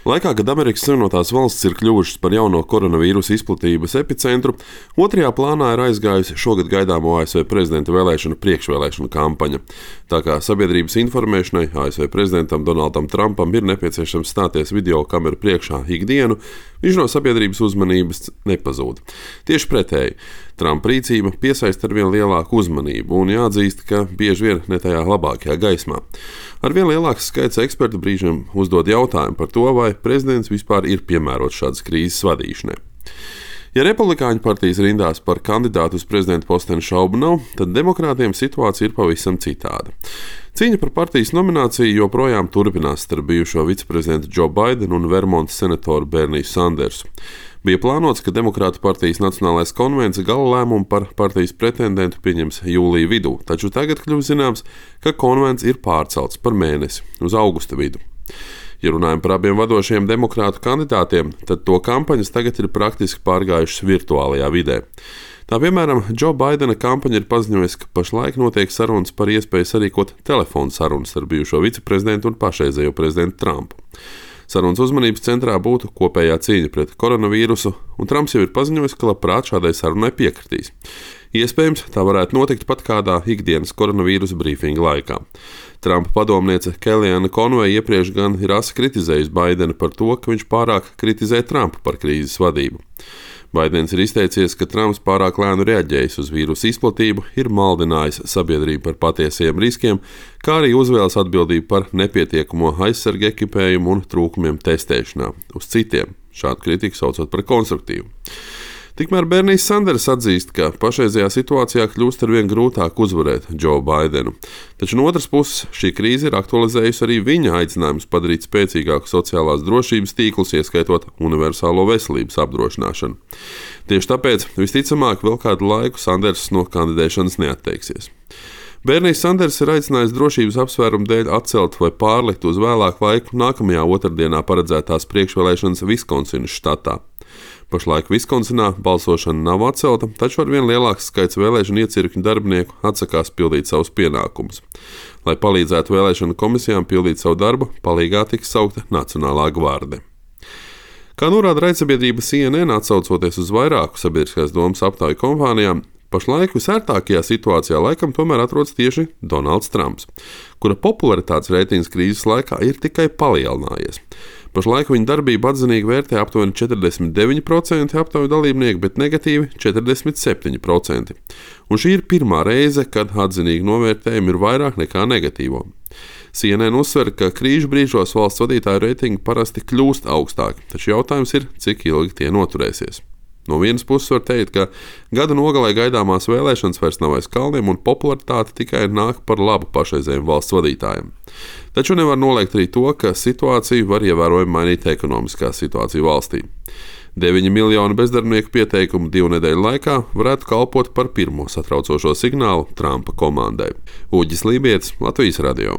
Laikā, kad Amerikas Savienotās valstis ir kļuvušas par jauno koronavīrusa izplatības epicentru, otrajā plānā ir aizgājusi šogad gaidāmo ASV prezidenta vēlēšanu priekšvēlēšanu kampaņa. Tā kā sabiedrības informēšanai ASV prezidentam Donaldam Trumpam ir nepieciešams stāties video kameru priekšā ikdienu, viņš no sabiedrības uzmanības nepazūd. Tieši pretēji, Trumpa rīcība piesaista arvien lielāku uzmanību un jāatzīst, ka bieži vien ne tajā labākajā gaismā. Arvien lielāks skaits ekspertu brīžiem uzdod jautājumu par to, vai prezidents vispār ir piemērots šādas krīzes vadīšanai. Ja Republikāņu partijas rindās par kandidātu uz prezidenta posteni šaubu nav, tad demokrātiem situācija ir pavisam citāda. Cīņa par partijas nomināciju joprojām turpinās starp bijušo viceprezidentu Joe Bidenu un Vermontas senatoru Berniju Sandersu. Bija plānots, ka Demokrātu partijas Nacionālais konvents gala lēmumu par partijas pretendentu pieņems jūlija vidū, taču tagad kļuvis zināms, ka konvents ir pārcelts par mēnesi uz augusta vidu. Ja runājam par abiem vadošajiem demokrātu kandidātiem, tad to kampaņas tagad ir praktiski pārgājušas virtuālajā vidē. Tā piemēram, Joe Bidena kampaņa ir paziņojusi, ka pašlaik notiek sarunas par iespēju sarīkot telefonu sarunas ar bijušo viceprezidentu un pašreizējo prezidentu Trumpu. Sarunas uzmanības centrā būtu kopējā cīņa pret koronavīrusu, un Trumps jau ir paziņojis, ka labprāt šādai sarunai piekritīs. Iespējams, tā varētu notikt pat kādā ikdienas koronavīrusa brīfinga laikā. Trumpa padomniece Kellyanne Conway iepriekš gan ir asi kritizējusi Bidenu par to, ka viņš pārāk kritizē Trumpu par krīzes vadību. Baidens ir izteicies, ka Trumps pārāk lēnu reaģējis uz vīrusu izplatību, ir maldinājis sabiedrību par patiesiem riskiem, kā arī uzvēlas atbildību par nepietiekamo aizsargu ekipējumu un trūkumiem testēšanā uz citiem, šādu kritiku saucot par konstruktīvu. Tikmēr Bernijs Sanders atzīst, ka pašreizajā situācijā kļūst arvien grūtāk uzvarēt Joe Bidenu. Taču no otras puses šī krīze ir aktualizējusi arī viņa aicinājumus padarīt spēcīgāku sociālās drošības tīklus, ieskaitot universālo veselības apdrošināšanu. Tieši tāpēc visticamāk vēl kādu laiku Sanders no kandidēšanas neatteiksies. Bernijs Sanders ir aicinājis drošības apsvērumu dēļ atcelt vai pārlikt uz vēlāku laiku nākamajā otrdienā paredzētās priekšvēlēšanas Viskonsinas štatā. Pašlaik Viskonsinā balsošana nav atcelta, taču arvien lielāks skaits vēlēšanu iecirkņu darbinieku atsakās pildīt savus pienākumus. Lai palīdzētu vēlēšanu komisijām pildīt savu darbu, palīgā tiks saukta Nacionālā gvarde. Kā norāda raidsabiedrība CNN, atsaucoties uz vairāku sabiedriskās domas aptauju kompānijām, pašlaik visērtākajā situācijā laikam tomēr atrodas tieši Donalds Trumps, kura popularitātes reitings krīzes laikā ir tikai palielinājies. Pašlaik viņa darbību atzinīgi vērtē aptuveni 49% aptauju dalībnieku, bet negatīvi 47%. Un šī ir pirmā reize, kad atzinīgi novērtējumi ir vairāk nekā negatīvo. CNN uzsver, ka krīžu brīžos valsts vadītāju reitingi parasti kļūst augstāki, taču jautājums ir, cik ilgi tie noturēsies. No vienas puses var teikt, ka gada nogalē gaidāmās vēlēšanas vairs nav aiz kalniem un popularitāte tikai nāk par labu pašreizējiem valsts vadītājiem. Taču nevar noliegt arī to, ka situāciju var ievērojami mainīt ekonomiskā situācija valstī. 9 miljonu bezdarbnieku pieteikumu 2 nedēļu laikā varētu kalpot par pirmo satraucošo signālu Trumpa komandai. Uģis Lībietis, Latvijas radio.